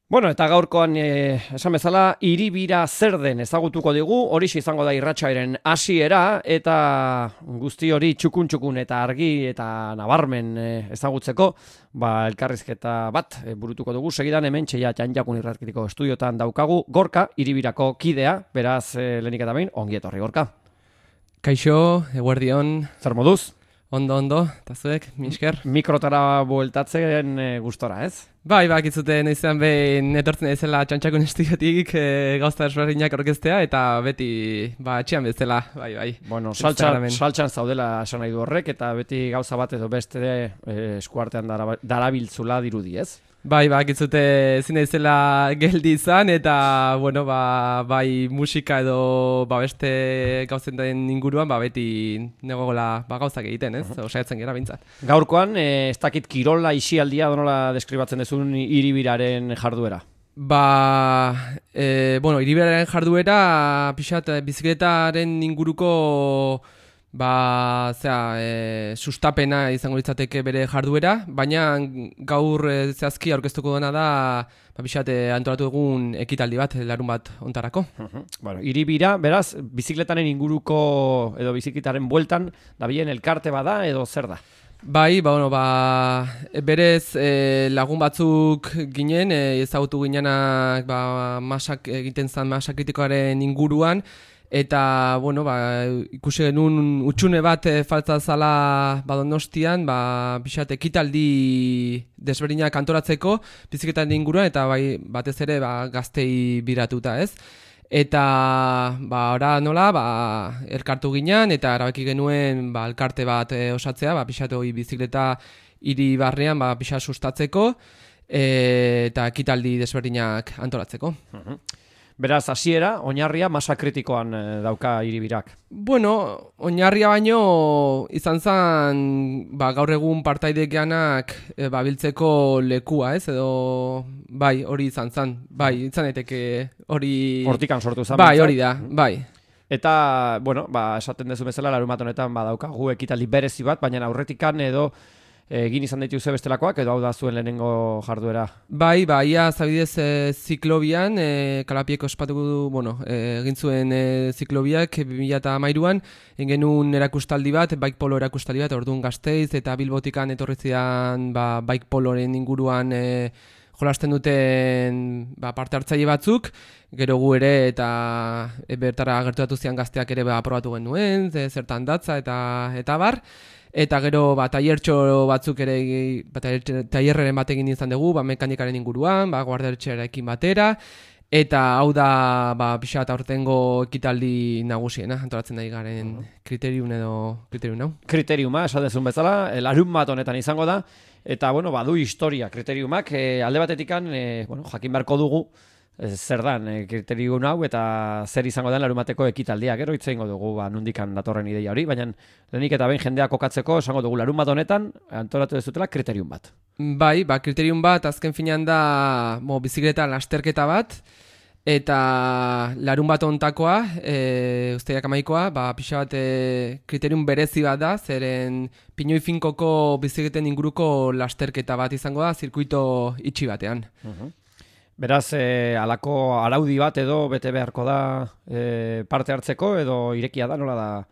Bueno, eta gaurkoan esan bezala, hiribira zer den ezagutuko digu, horixe izango da irratsaiaren hasiera eta guzti hori txukun eta argi eta nabarmen ezagutzeko, elkarrizketa bat burutuko dugu. Segidan hemen txeia Janjakun irratkitiko estudiotan daukagu Gorka, hiribirako kidea, beraz lehenik eta behin, ongi etorri Gorka. Kaixo, eguerdion. Zer moduz? Ondo, eta zuek, misker. Mikrotara bueltatzen gustora, ez? Bakitzute naizan behin etortzen ezela Txantxakun estudiotik gauza desberdinak orkestea eta beti etxean bezala, bai. Bueno, saltxan zaudela esan nahi du horrek eta beti gauza bat edo beste eskuartean darabiltzula dirudi, ez? Bakitzute ezin ezela geldi izan eta, bai musika edo beste gauzen den inguruan, beti negoela gauzak egiten, ez? Osaiatzen gera bintzat. Gaurkoan, ez dakit kirola isialdia donola deskribatzen dezun hiribiraren jarduera? Hiribiraren jarduera, pixat, bizikletaren inguruko sustapena izango litzateke bere jarduera, baina gaur zehazki aurkeztuko dena da antolatu egun ekitaldi bat, larun bat ontarako. Hiribira, beraz, bizikletaren inguruko edo bizikletaren bueltan, dabilen elkarte bada edo zer da? Berez lagun batzuk ginen, ezagutu ginenak masak egiten zen masa kritikoaren inguruan, eta, ikusi genuen utxune bat falta zala Donostian, pixat ekitaldi desberdinak antolatzeko bizikletaren inguruan, eta batez ere gaztei biratuta, ez? Eta, ora nola, elkartu ginean, eta erabaki genuen elkarte bat osatzea, pixat hori bizikleta hiri barnean, pixat sustatzeko, eta ekitaldi desberdinak antolatzeko. Beraz, hasiera, oinarria masa kritikoan dauka hiribirak. Oinarria baino izan zen gaur egun partaidek geanak biltzeko lekua, ez? Edo, hori izan zen. Izan daiteke hori... Hortikan sortu zen. Hori da, Eta, esaten dezu bezala, larun bat honetan daukagu ekitaldi berezi bat, baina aurretikan edo egin izan dituzu bestelakoak, edo hau da zuen lehenengo jarduera? Ia zabidez ziklobian, Kalapieko ospatuko du, egin zuen ziklobiak 2013an, egin genuen erakustaldi bat, bike polo erakustaldi bat, orduan Gasteiz, eta Bilbotikan etorri zidan bike poloren inguruan jolasten duten parte hartzaile batzuk, gero gu ere eta bertara gerturatu zian gazteak ere aprobatu genuen, zertan datza eta bar. Eta gero tailertxo batzuk ere, tailerreren bat egin izan dugu, mekanikaren inguruan, guardaretxearekin batera, eta hau da pixat aurtengo ekitaldi nagusiena, antolatzen nahi garen kriterium hau. Kriteriuma, esatezun bezala, larun bat honetan izango da, eta badu historia kriteriumak, alde batetikan, jakin beharko dugu, zer dan kriterium hau eta zer izango den larumateko ekitaldia. Gero hitz egingo dugu nondikan datorren ideia hori, baina lehenik eta behin jendea kokatzeko esango dugu larun bat honetan antolatu dezutela kriterium bat. Kriterium bat azken finean da bizikleta lasterketa bat, eta larun bat honetakoa, uztaiak amaikoa, pixa bat kriterium berezi bat da, zeren Pinoi Finkoko bizikleten inguruko lasterketa bat izango da, zirkuito itxi batean. Beraz, halako araudi bat edo bete beharko da parte hartzeko edo irekia da, nola da?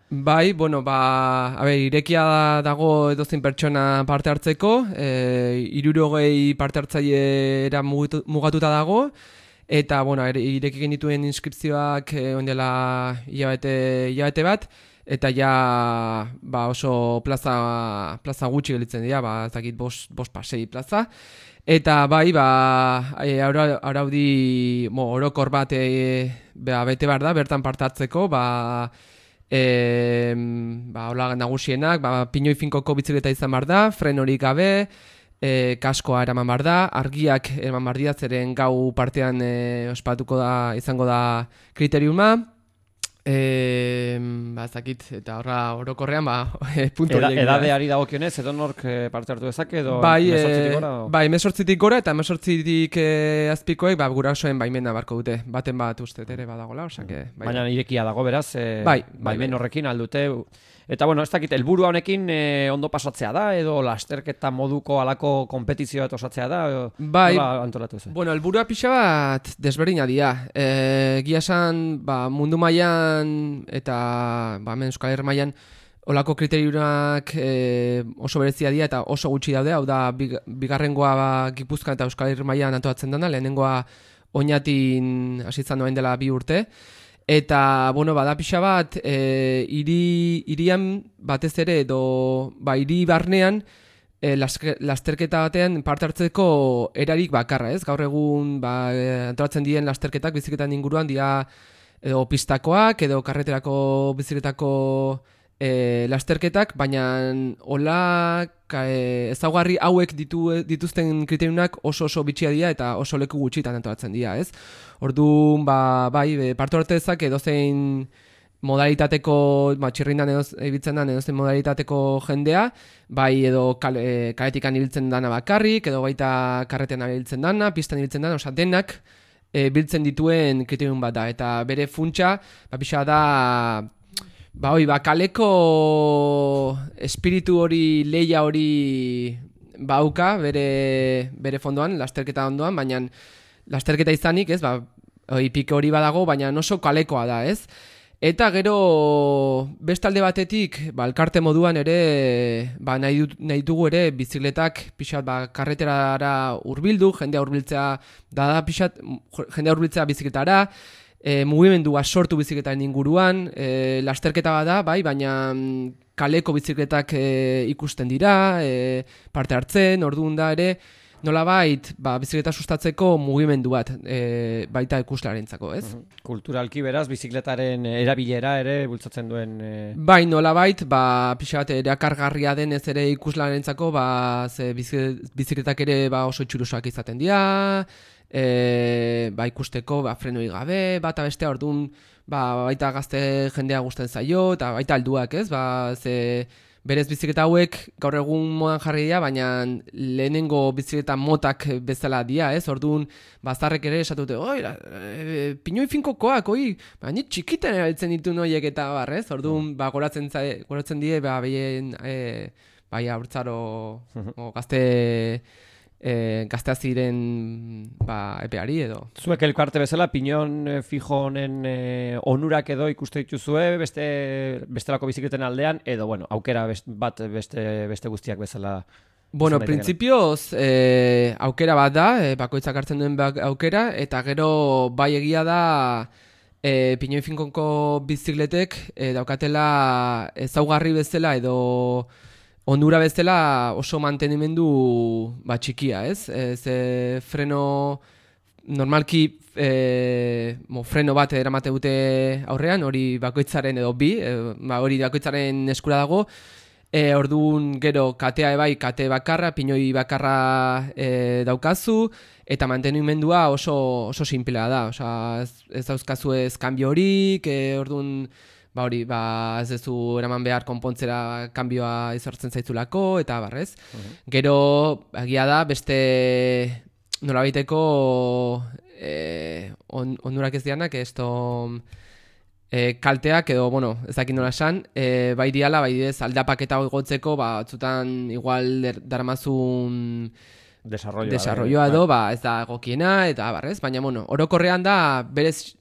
Irekia dago edozein pertsona parte hartzeko, 60 parte hartzaileera mugatuta dago, eta, ireki genituen inskripzioak ondela hilabete bat, eta oso plaza gutxi gelitzen dira, ez dakit 5-6 plaza. Eta araudi orokor bat bete behar da, bertan parte hartzeko, hola nagusienak, Pinoi Finkoko bizikleta izan behar da, frenorik gabe, kaskoa eraman behar da, argiak eraman behar dira, zeren gau partean ospatuko da, izango da kriteriuma, Zakit, eta horra orokorrean, puntu horiek. Edadeari dagokionez, edo nork parte hartu dezake, edo bai, 18-tik gora? Bai, 18-tik gora, eta 18-tik azpikoek, gurasoen baimena barko dute. Baten bat uste ere badagola, osake. Baina irekia dago, beraz, baimen horrekin aldute. Eta, bueno, ez dakit, helburua honekin ondo pasatzea da, edo lasterketa moduko alako konpetizioa osatzea da, nola antolatu ez? Bueno, helburua pixa bat desberdina dira. Egia esan, mundu mailan eta hemen Euskal Herri mailan olako kriteriunak oso berezia dira eta oso gutxi daude, hau da, bigarrengoa Gipuzkoan eta Euskal Herri mailan antolatzen dena, lehenengoa Oñatin hasitzen doain dela 2 urte. Eta, bada pixa bat, irian batez ere, edo, hiri barnean, lasterketa batean parte hartzeko erarik bakarra, ez? Gaur egun, antolatzen diren lasterketak, bizikletan inguruan, dira, edo pistakoak, edo karreterako bizikletako lasterketak, baina hola ezaugarri hauek dituzten kriteriunak oso bitxia dira eta oso leku gutxitan antolatzen dira, ez? Orduan, parte hartzezak edozein modalitateko, txirrindan ibiltzen den edozein modalitateko jendea, edo kaletikan ibiltzen dana bakarrik, edo baita karretean ibiltzen dana, pistan ibiltzen dana, denak biltzen dituen kriteriun bat da, eta bere funtsa, pixa da, kaleko espiritu hori, leia hori bauka bere fondoan, lasterketa ondoan, baina lasterketa izanik, ez, pike hori badago, baina oso kalekoa da, ez? Eta gero bestalde batetik, elkarte moduan ere, nahi dugu ere bizikletak pixat karreterara hurbildu, jendea hurbiltzea jendea hurbiltzea bizikletara, mugimendua sortu bizikletaren inguruan, lasterketa bada, baina kaleko bizikletak ikusten dira, parte hartzen, orduan da ere, nolabait, bizikleta sustatzeko mugimendu bat, baita ikuslarentzako, ez? Kulturalki beraz, bizikletaren erabilera ere bultzatzen duen... Bai, nolabait, pixa bat erakargarria denez ere ikuslarentzako, bizikletak ere oso itxurusoak izaten dira, ikusteko frenoi gabe, bata bestea orduan baita gazte jendea gusten zaio eta baita alduak, ez? Berez bizikleta hauek gaur egun modan jarri dira, baina lehenengo bizikleta motak bezala dira, ez? Orduan bazarrek ere esatute, pinoi finkokoak, baina txikiten erabiltzen ditu noiek eta ez? Orduan goratzen die behien haurtzaro gaztea ziren epeari edo. Zuek elkarte bezala, pinon fijo honen onurak edo ikuste dituzue bestelako bizikleten aldean, edo, aukera beste guztiak bezala. Printzipioz, aukera bat da, bakoitzak hartzen duen aukera, eta gero egia da pinoi finkoko bizikletek daukatela ezaugarri bezala edo onura bezala oso mantenimendu txikia, ez? Freno, normalki freno bat eramate dute aurrean, hori bakoitzaren edo hori bakoitzaren eskura dago, orduan gero katea kate bakarra, pinoi bakarra daukazu, eta mantenimendua oso simplea da, ez dauzkazu ez kanbio horik, orduan ez duzu eraman behar konpontzera kanbioa izortzen zaitzulako, eta barrez. Gero, egia da, beste nolabaiteko onurak ez dianak, kalteak edo, ez dakit nola esan, bai diala, aldapak eta gotzeko, batzutan igual daramazun desarrolloa edo, ez da egokiena, eta barrez, baina, orokorrean da, berez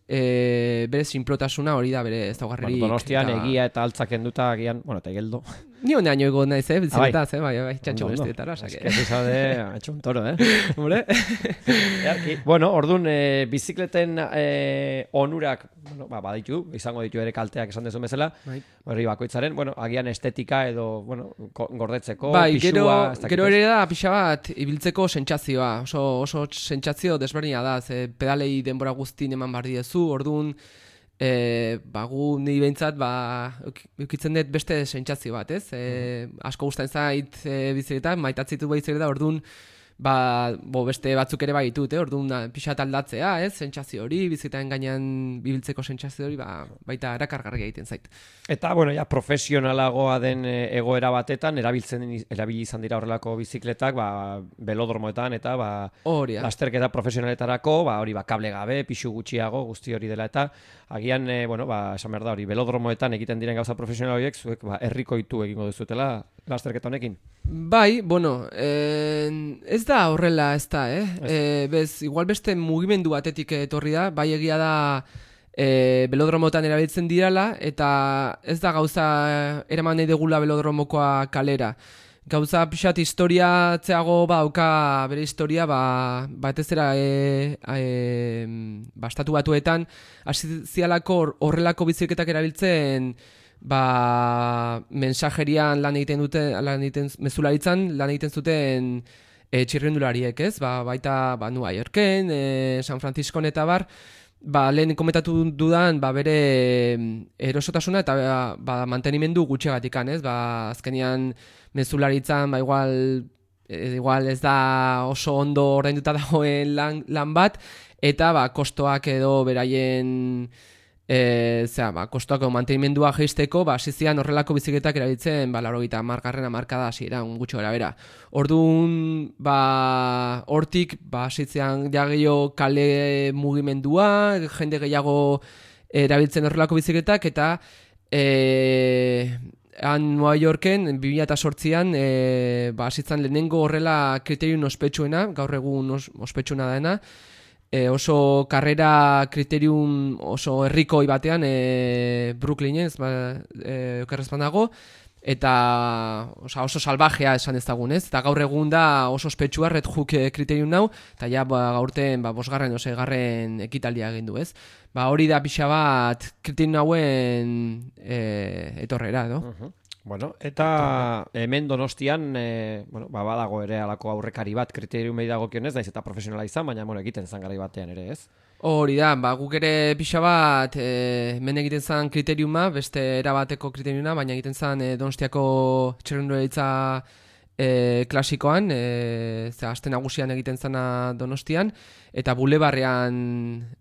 sinplotasuna hori da bere ezaugarririk. Donostian egia eta altzak enduta agian, eta geldo. Ni honean joiko naiz, bizikletaz, txantxo bestietara. Ez que zizade, ha hecho un toro, Hore? Orduan, bizikleten onurak, baditu, izango ditu ere kalteak esan dezu bezala, horri bakoitzaren, agian estetika edo, gordetzeko, pixua... Gero ere da, pixa bat, ibiltzeko sentsazioa, oso sentsazio desberdina da, pedalei denbora guztin eman bar diezu, orduan, gu niri behintzat eukitzen dut beste sentsazio bat, ez? Asko gustatzen zait bizikleta, maitatzitu bizikleta, orduan beste batzuk ere bai ditut, orduan pixat aldatzea, sentsazio hori, bizitaren gainean bibiltzeko sentsazio hori, baita erakargarria egiten zait. Eta, bueno, ja, profesionalagoa den egoera batetan, erabili izan dira horrelako bizikletak, velodromoetan, eta, lasterketa profesionaletarako, hori, kable gabe, pixu gutxiago, guzti hori dela, eta, agian, esan behar da hori, velodromoetan egiten diren gauza profesional horiek, zuek, herrikoitu egingo duzutela, lasterketa honekin. Bai, bueno, ez da horrela, ez da, bez, igual beste mugimendu batetik etorri da, bai egia da velodromotan erabiltzen dirala, eta ez da gauza eraman nahi degula velodromokoa kalera. Gauza pixat historiatzeago dauka bere historia, batezera estatu batuetan, hasi zialako horrelako biziketak erabiltzen, mensajerian lan egiten mezularitzan lan egiten zuten txirrindulariek, ez? Baita New Yorken, San Franciscon eta lehen komentatu dudan bere erosotasuna eta mantenimendu gutxegatikan, ez? Azkenean mezularitzan igual ez da oso ondo ordainduta dagoen lan bat, eta kostoak edo beraien kostoako mantenimendua jeisteko, hasizian horrelako bizikletak erabiltzen, 80. hamarkada hasieran gutxi gorabehera. Orduan, hortik, hasizian gehiago kale mugimendua, jende gehiago erabiltzen horrelako bizikletak, eta New Yorken, 2008an, hasitzen lehenengo horrela kriterium ospetsuena, gaur egun ospetsuna dena, oso karrera kriterium oso herrikoi batean Brooklynen, okerrezpan dago, eta oso salvajea esan ezagun, ez? Eta gaur egun da oso ospetsua Red Hook kriterium nau, eta ja gaurten 5. 6. ekitaldia egin du, ez? Hori da pixa bat kriterium nauen etorrera, edo? Bueno, eta hemen Donostian, badago ere alako aurrekari bat kriteriumei dagokionez, naiz eta profesionala izan, baina egiten zan garai batean ere, ez? Hori da, guk ere pixa bat hemen egiten zan kriteriuma, beste erabateko kriteriuma, baina egiten zan Donostiako txirrindularitza klasikoan, aste nagusian egiten zana Donostian, eta bulebarrean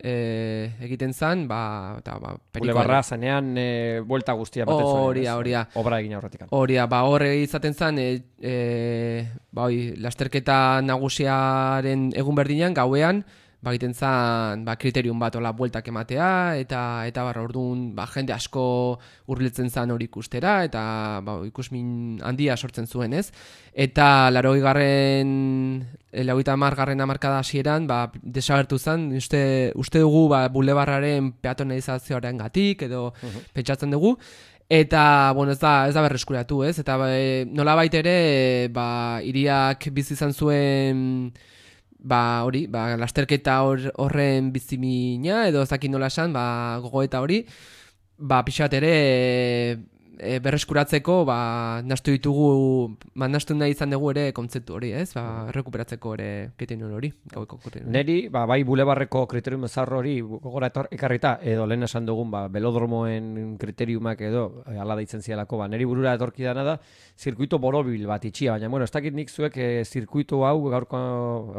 egiten zan, bulebarra zanean buelta guztia baten zuen. Hori da. Obra egin aurretik. Hori da, hor izaten zan, lasterketa nagusiaren egun berdinean, gauean, egiten zan kriterium bat bueltak ematea, eta orduan jende asko hurbiltzen zan hori ikustera, eta ikusmin handia sortzen zuen, ez? Eta 80. hamarkada hasieran desagertu zen, uste dugu bulebarraren peatonalizazioaren gatik, edo pentsatzen dugu, eta, ez da berreskuratu, ez? Eta nolabait ere, hiriak bizi izan zuen lasterketa horren bizimina, edo zakin nola esan, gogoeta hori, pixat ere berreskuratzeko, nastu nahi izan dugu ere kontzeptu hori, ez? Errekuperatzeko ere kriterium hori. Neri, bai bulebarreko kriterium ezarro hori gogora ekarrita, edo lehen esan dugun, velodromoen kriteriumak edo, ala deitzen zialako, neri burura etorki dana da, zirkuito borobil bat itxia, baina, ez dakit nik zuek zirkuito hau, gaurko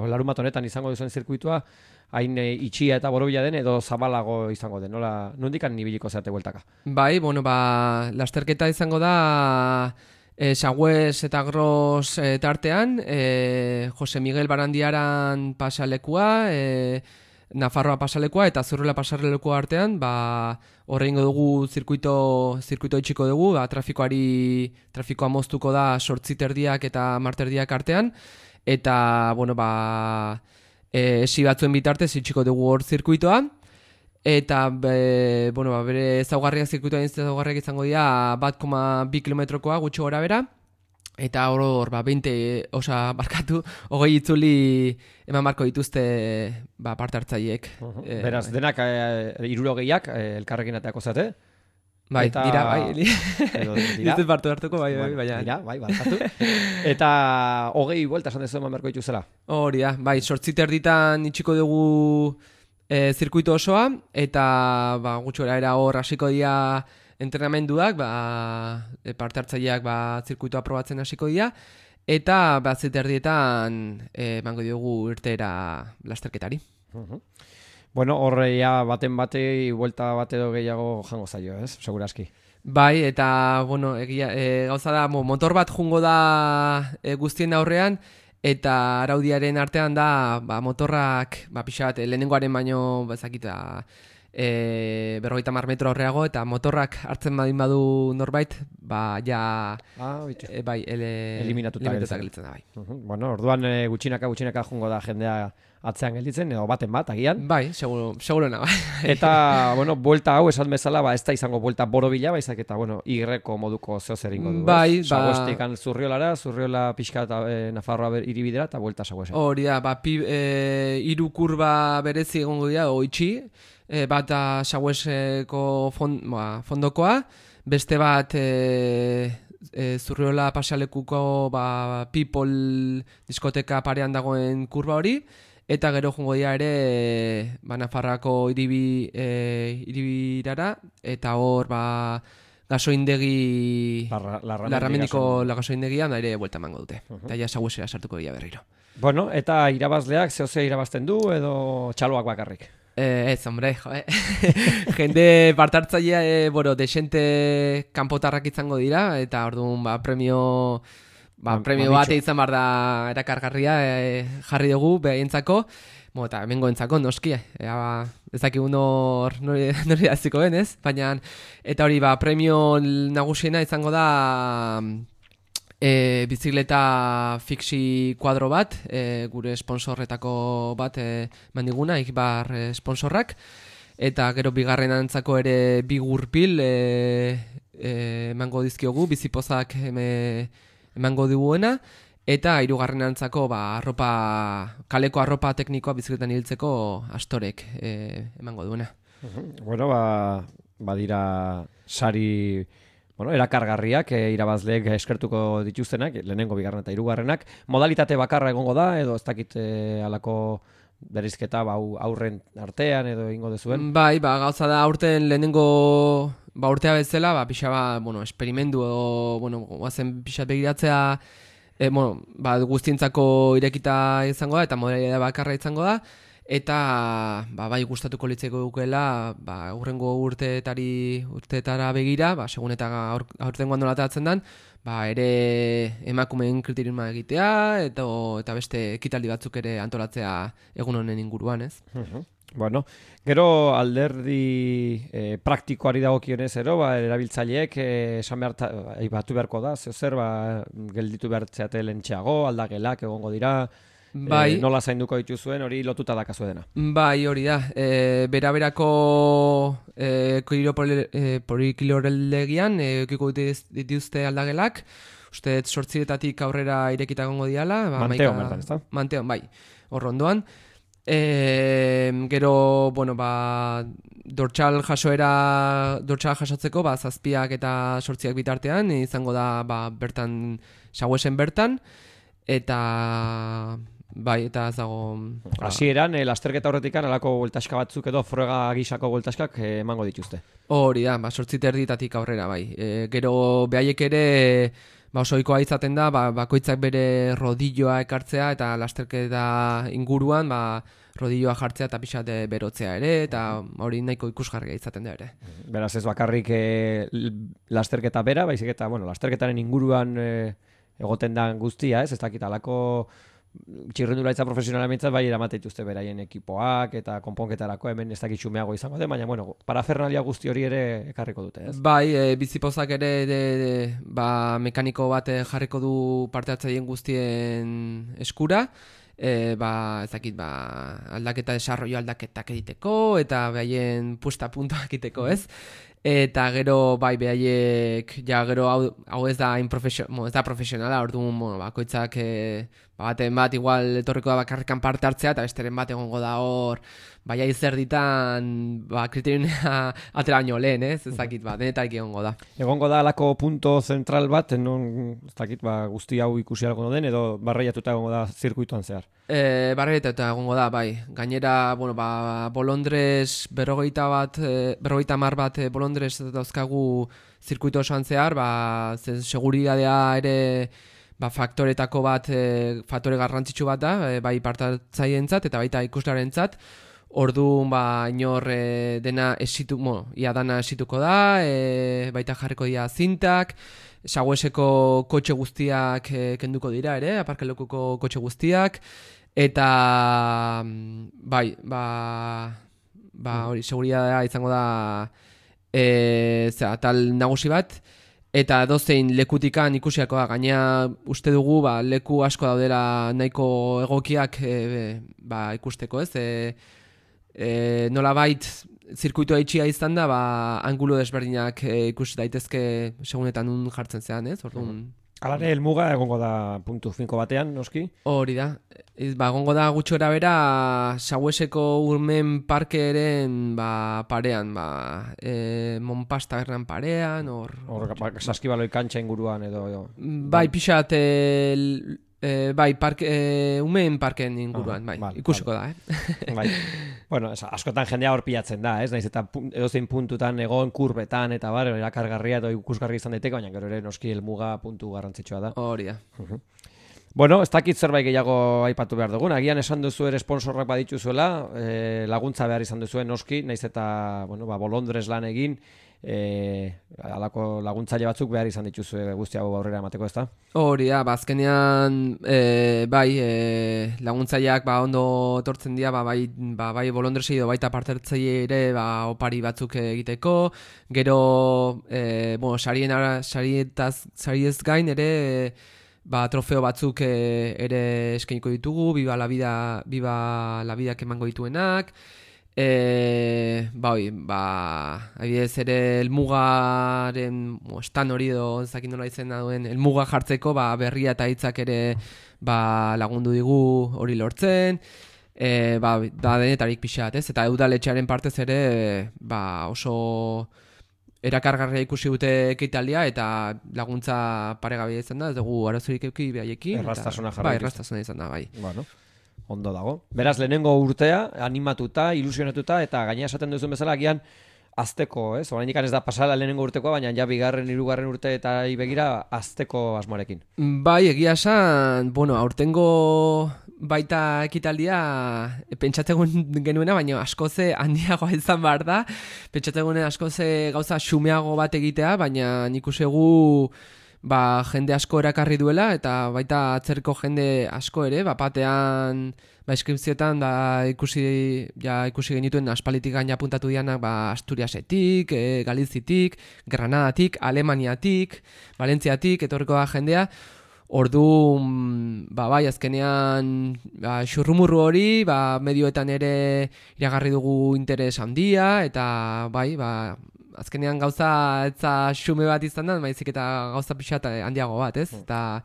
larumat honetan izango duzuen zirkuitoa, hain itxia eta borobila den edo zabalago izango den, nola, nondikan nibiliko zerate bueltaka? Bai, lasterketa izango da Sagüez eta Gros tartean, Jose Miguel Barandiaran pasalekua, Nafarroa pasalekua eta Zurrela pasalekua artean, horreingo dugu zirkuito itxiko dugu, trafikoa moztuko da 8:30 eta 10:30 artean, eta, esi batzuen bitartez itxiko dugu hor zirkuitoa, eta bere ezaugarriak zirkuitoa ezaugarriak izango dira 1,2 kilometrokoa gutxi gora bera, eta hor 20 itzuli eman marko dituzte parte hartzaileek. Beraz, denak 60 elkarrekin ateako zate? Bai, dira, bai. Dira parte hartuko, bai, baina. Dira, bai, barkatu. Eta 20 buelta esan dezu eman marko dituzela? Hori da, bai, 8:30 itxiko dugu zirkuito osoa, eta gutxi era hor hasiko dira entrenamenduak, parte hartzaileak zirkuitoa probatzen hasiko dira, eta bazit erdietan emango diogu irteera lasterketari. Bueno, horreia baten batei buelta bat edo gehiago jango zaio, ez? Segurazki. Bai, eta, bueno, gauza da, motor bat jungo da guztien aurrean, eta araudiaren artean da, motorrak, pixa bat, lehenengoaren baino, ezakita, 50 metro horreago, eta motorrak hartzen badin badu norbait, ja, eliminatuta gelitzen da, bai. Bueno, orduan gutxinaka jungo da jendea atzean gelditzen, edo baten bat, agian. Bai, segurona, bai. Eta, bueno, buelta hau esan bezala, ez da izango buelta borobila, baizak eta, bueno, igreko moduko zehozeringo du. Bai, Saguestikan Zurriola pixka eta Nafarroa iribidera, eta buelta Saguesen. Hori da, hiru kurba berezi egongo dira, oitxi, bat Sagueseko fondokoa, beste bat Zurriola pasealekuko People diskoteka parean dagoen kurba hori, eta gero jungo dira ere Nafarroako iribirara, eta hor gasoindegi Larramendiko gasoindegian ere buelta emango dute. Eta ja Saguesera sartuko dira berriro. Bueno, eta irabazleak zehose irabazten du edo txaloak bakarrik? Ez, hombre, jende partartzailea, desente kanpotarrak izango dira, eta orduan premio bat izan behar da erakargarria jarri dugu behaientzako, eta hemengoentzako noski, ez dakigu nori aziko ben, ez? Baina, eta hori, premio nagusiena izango da bizikleta fixi kuadro bat, gure sponsorretako bat mandiguna, Ikbar sponsorrak, eta gero bigarren antzako ere bi gurpil emango dizkiogu, bizipozak emango diguena, eta hirugarren antzako kaleko arropa teknikoa bizikletan hiltzeko astorek emango duena. Bueno, badira sari erakargarriak irabazleek eskertuko dituztenak, lehenengo, bigarren eta hirugarrenak. Modalitate bakarra egongo da, edo ez dakit halako berizketa aurren artean edo ingo dezuen? Bai, gauza da aurten lehenengo urtea bezala, pixa esperimendu edo, guazen pixa begiratzea, guztientzako irekita izango da, eta modalidade bakarra izango da, eta bai gustatuko litzeko dukela hurrengo urteetara begira, segun eta aurtengoan nolatatzen den, ere emakumeen kriteriuma egitea eta beste ekitaldi batzuk ere antolatzea egun honen inguruan, ez? Bueno, gero alderdi praktikoari dagokionez erabiltzaileek esan batu beharko da, zer gelditu behartzeate lentxeago, aldagelak egongo dira, nola zainduko dituzuen, hori lotuta dakazu dena. Bai, hori da. Beraberako polikiloreldegian ekiko dituzte aldagelak, uste 8 aurrera irekita gongo diala. Manteon, bertan, ez da? Manteon, bai, hor ondoan. Gero, dortxal jasotzeko, 7 eta 8 bitartean, izango da, bertan, Saguesen bertan, eta... Bai, eta ez dago... Hasieran, lasterketa horretikan, alako bueltaska batzuk edo frega gisako bueltaskak emango dituzte. Hori da, 8 aurrera, bai. Gero behaiek ere, oso ohikoa izaten da, bakoitzak bere rodilloa ekartzea, eta lasterketa inguruan, rodilloa jartzea eta pixat berotzea ere, eta hori nahiko ikusgarria izaten da ere. Beraz ez bakarrik lasterketa bera, baizik eta, lasterketaren inguruan egoten da guztia, ez dakit alako... Txirrendularitza profesionalamentzat bai eramate dituzte beraien ekipoak eta konponketarako hemen ez dakit xumeago izango den, baina parafernalia guzti hori ere ekarriko dute, ez? Bai, bizipozak ere mekaniko bat jarriko du parte hartzaileen guztien eskura, ez dakit aldaketa desarrollo aldaketak egiteko eta behaien puesta puntuak egiteko, ez? Eta gero behaiek gero hau ez da profesionala, orduan bakoitzak baten bat igual etorriko da bakarrikan parte hartzea eta besteren bat egongo da hor baina zer ditan kriterioa atera baino lehen, ez dakit denetak egongo da. Egongo da alako punto zentral bat, non ez dakit guzti hau ikusi algo den edo barreiatuta egongo da zirkuituan zehar? Barreiatuta egongo da, bai. Gainera, Bolondres 50 bat Bolondres dauzkagu zirkuito osoan zehar, seguridadea ere faktoretako bat, faktore garrantzitsu bat da, bai partatzaileentzat eta baita ikuslearentzat. Orduan inor dena ia dana esituko da, baita jarriko dira zintak, Sagueseko kotxe guztiak kenduko dira ere, aparkalekuko kotxe guztiak, eta hori, seguridadea izango da tal nagusi bat, eta dozein lekutikan ikusiako da, gaina uste dugu leku asko daudela nahiko egokiak ikusteko, ez? Nolabait zirkuitua itxia izan da, angulo desberdinak ikusi daitezke segunetan nun jartzen zean, ez? Orduan... Alare, helmuga egongo da puntu finko batean, noski? Hori da. Egongo da gutxi gora bera Sagueseko urmen parkearen parean, Monpas tabernan parean, hor saskibaloi kantxa inguruan edo... Bai, pixat... umeen parken inguruan, ikusiko da, Bai. Bueno, askotan jendea hor pilatzen da, ez? Naiz eta edozein puntutan egon kurbetan eta erakargarria edo ikusgarri izan daiteke, baina gero ere noski helmuga puntu garrantzitsua da. Hori da. Bueno, ez dakit zerbait gehiago aipatu behar dugun. Agian esan duzu ere sponsorrak badituzuela, laguntza behar izan duzuen noski, naiz eta, bolondrez lan egin, alako laguntzaile batzuk behar izan dituzu guzti hau aurrera emateko, ezta? Hori da, azkenean laguntzaileak ondo etortzen dira, bai bolondresi edo baita partertzaile ere opari batzuk egiteko, gero sariez gain ere trofeo batzuk ere eskainiko ditugu, Viva la Vida emango dituenak, adibidez ere elmugaren estan hori edo ezakin nola izena duen elmuga jartzeko berria eta hitzak ere lagundu digu hori lortzen, da denetarik pixat, ez? Eta udaletxearen partez ere oso erakargarria ikusi dute ekitaldia eta laguntza paregabea izan da, ez dugu arazorik eduki behaiekin. Erraztasuna jarra. Erraztasuna izan da, bai. Bueno. Ondo dago. Beraz, lehenengo urtea, animatuta, ilusionatuta, eta gaina esaten duzun bezala, agian azteko, ez? Oraindik ez da pasala lehenengo urtekoa, baina ja bigarren, hirugarren urte eta begira azteko asmoarekin. Bai, egia esan, aurtengo baita ekitaldia pentsatzen genuena, baina askoze handiagoa izan behar da. Pentsatzen genuen askoze gauza xumeago bat egitea, baina nik usegu jende asko erakarri duela eta baita atzerriko jende asko ere, batean inskripzioetan ikusi genituen aspalitik gaina apuntatu dianak Asturiasetik, Galizitik, Granadatik, Alemaniatik, Valentziatik, etorriko da jendea. Orduan, azkenean xurrumurru hori, medioetan ere iragarri dugu interes handia, eta azkenean gauza etza xume bat izan da, baizik eta gauza pixat handiago bat, ez? Eta,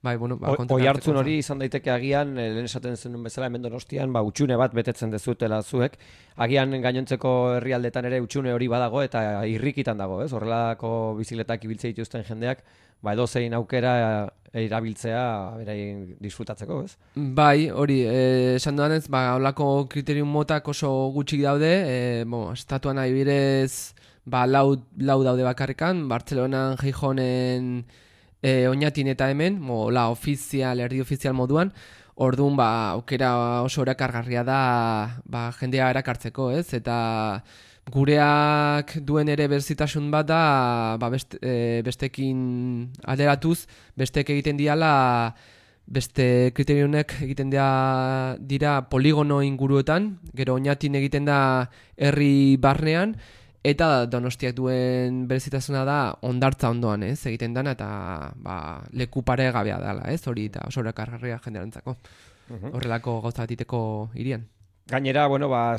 oi hartzun hori izan daiteke agian, lehen esaten zenun bezala, hemen Donostian, utxune bat betetzen dezutela zuek, agian gainontzeko herrialdetan ere utxune hori badago eta irrikitan dago, ez? Horrelako bizikletak ibiltze dituzten jendeak, edozein aukera erabiltzea beraien disfrutatzeko, ez? Bai, hori, esan duan ez, holako kriterium motak oso gutxik daude, estatuan adibidez, lau daude bakarrikan, Bartzelonan, Gijonen, Oñatin eta hemen, erdi ofizial moduan, orduan aukera oso erakargarria da jendea erakartzeko, ez? Eta gureak duen ere berzitasun bat da bestekin alderatuz, bestek egiten diala, beste kriteriunek egiten dira poligono inguruetan, gero Oñatin egiten da herri barnean, eta Donostiak duen berezitasuna da hondartza ondoan, ez? Egiten dana eta leku paregabea dela, ez? Hori eta oso erakargarria jendearentzako. Horrelako gauza bat iteko hirian. Gainera,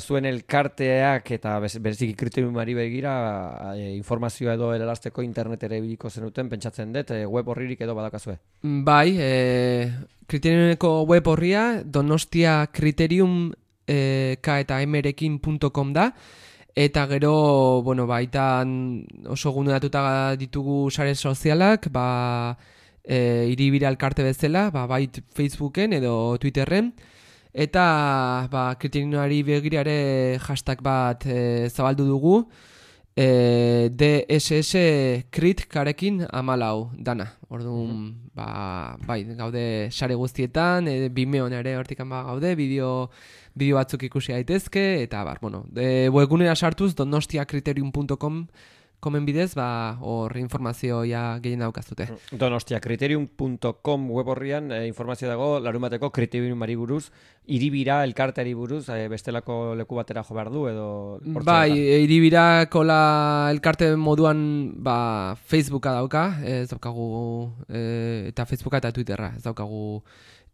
zuen elkarteak eta bereziki kriteriumari begira informazioa edo eralazteko internet ere biliko zenuten, pentsatzen dut, web horririk edo badakazue? Bai, kriteriumeko web horria donostiakriterium.com da, eta gero, baitan oso gunedatuta ditugu sare sozialak, hiribira elkarte bezala, bai Facebooken edo Twitterren, eta kriteriumari begira ere hashtag bat zabaldu dugu, DSS Crit karekin 14 dana. Orduan, bai, gaude sare guztietan, Vimeon ere hortikan gaude, bideo batzuk ikusi daitezke, eta webgunera sartuz donostiakriterium.com komen bidez, hor informazioa gehien daukazute. Donostiakriterium.com web horrian informazio dago larunbateko kriteriumari buruz, hiribira elkarteari buruz, bestelako leku batera jo behar du edo... Bai, hiribirako elkarte moduan Facebooka dauka, ez daukagu, eta Facebooka eta Twitterra, ez daukagu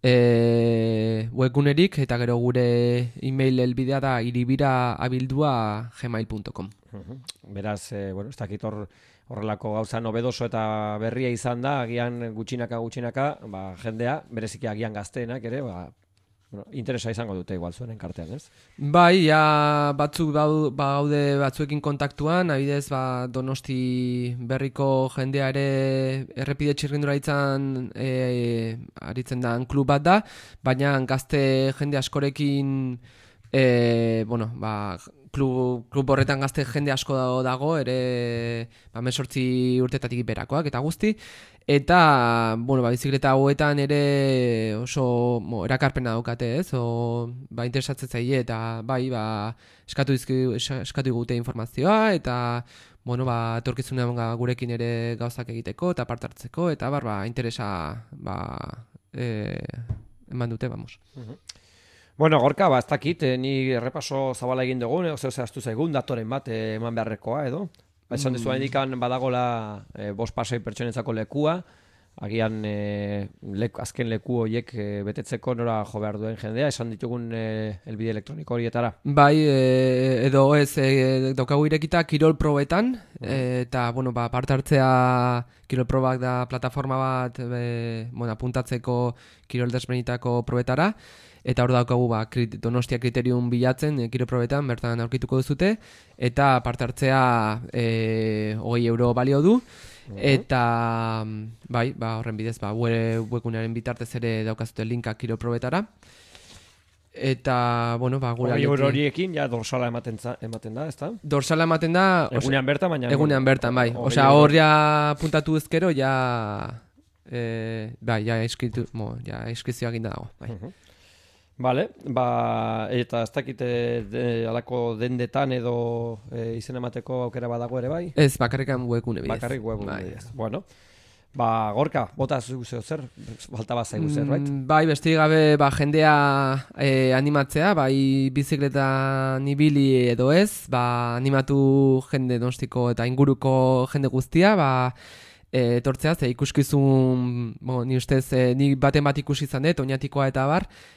webgunerik, eta gero gure email helbidea da hiribiraabildua@gmail.com. Beraz, ez dakit horrelako gauza nobedoso eta berria izan da, agian gutxinaka, jendea, bereziki agian gazteenak ere, interesa izango dute igual zuen enkartean, ez? Bai, batzuk gaude batzuekin kontaktuan, adibidez Donosti berriko jendea ere errepide txirrindura aritzen da klub bat da, baina gazte jende askorekin klub horretan gazte jende asko dago, ere 18 urtetatik berakoak eta guzti, eta bizikleta hauetan ere oso erakarpena daukate, ez? Interesatzen zaie, eta eskatu digute informazioa, eta etorkizunean gurekin ere gauzak egiteko, eta parte hartzeko, eta interesa eman dute, vamos. Gorka, ez dakit, ni errepaso zabala egin dugu, zehaztu zaigun, datoren bat eman beharrekoa, edo? Esan dizuan indikan badagola 5-6 pertsonentzako lekua, agian azken leku horiek betetzeko nora jo behar duen jendea, esan ditugun elbide elektroniko horietara. Bai, edo ez, daukagu irekita kirol probetan, eta parte hartzea kirol probak da plataforma bat apuntatzeko kirol desberdinetako probetara, eta hor daukagu Donostia Kriterium bilatzen kiroprobetan bertan aurkituko duzute, eta parte hartzea €20 balio du, eta horren bidez webgunearen bitartez ere daukazute linka kiroprobetara. Eta, gure €20 horiekin, dorsala ematen da, ezta? Dorsala ematen da... Egunean bertan, baina... Egunean bertan, bai. Osea, hor puntatu ezkero, eskrizioa ginda dago, bai. Bale, eta ez dakite alako dendetan edo izen emateko aukera badago ere bai? Ez, bakarrikan webgune bidez. Bakarrik webgune bidez. Bueno, Gorka, bota zuzeo zer, falta bat zaigu zer, right? Bai, besti gabe jendea animatzea, bizikletan ibili edo ez, animatu jende Donostiko eta inguruko jende guztia, etortzea, ikuskizun, ni ustez, ni baten bat ikusi izan dut, oinatikoa eta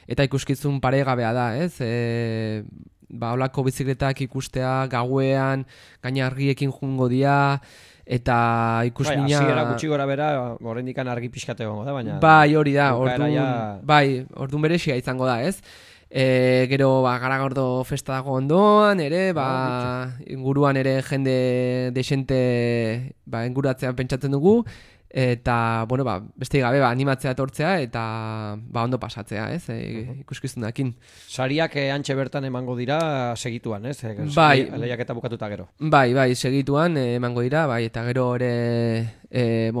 eta ikuskizun paregabea da, ez? Holako bizikletak ikustea, gauean, gaina argiekin jungo dira, eta ikusmina... Hasiera gutxi gora bera, oraindikan argi pixkate gongo da, baina... Bai, hori da, orduan berexia izango da, ez? Gero Garagordo festa dago ondoan, ere, inguruan ere jende desente inguratzean pentsatzen dugu, eta, beste gabe, animatzea etortzea, eta ondo pasatzea, ez, ikuskizunakin. Sariak antxe bertan emango dira segituan, ez? Bai. Lehiaketa bukatuta gero. Bai, segituan emango dira, eta gero ere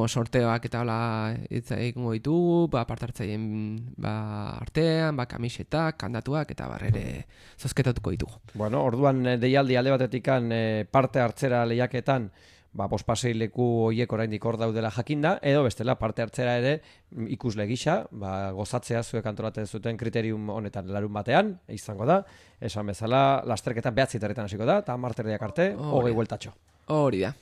sorteoak eta hola egingo ditugu, partartzaien artean, kamisetak, kandatuak, eta ere zozketatuko ditugu. Orduan deialdi alde batetikan parte hartzera lehiaketan, bospasei leku horiek oraindik hor daudela jakinda, edo bestela parte hartzera ere ikusle gisa, gozatzea zuek antolatzen zuten kriterium honetan larun batean, izango da, esan bezala, lasterketan 9:00 hasiko da, eta 10:00 arte, 20 bueltatxo. Hori da.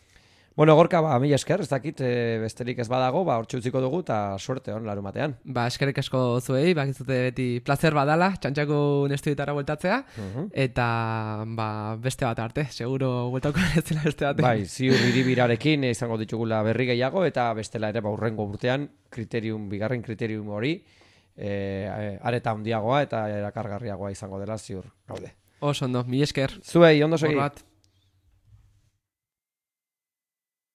Gorka, mila esker, ez dakit, besterik ez badago, hortxe utziko dugu, eta suerte hon larun batean. Eskerrik asko zuei, bakizute beti placer badala, txantxako nestudietara bueltatzea, eta beste bat arte, seguro bueltako ez dela beste bat. Ziur hiribirarekin izango ditugula berri gehiago, eta bestela ere urrengo urtean, bigarren kriterium hori, areta handiagoa eta erakargarriagoa izango dela ziur gaude. Oso ondo, mila esker. Zuei, ondo segi.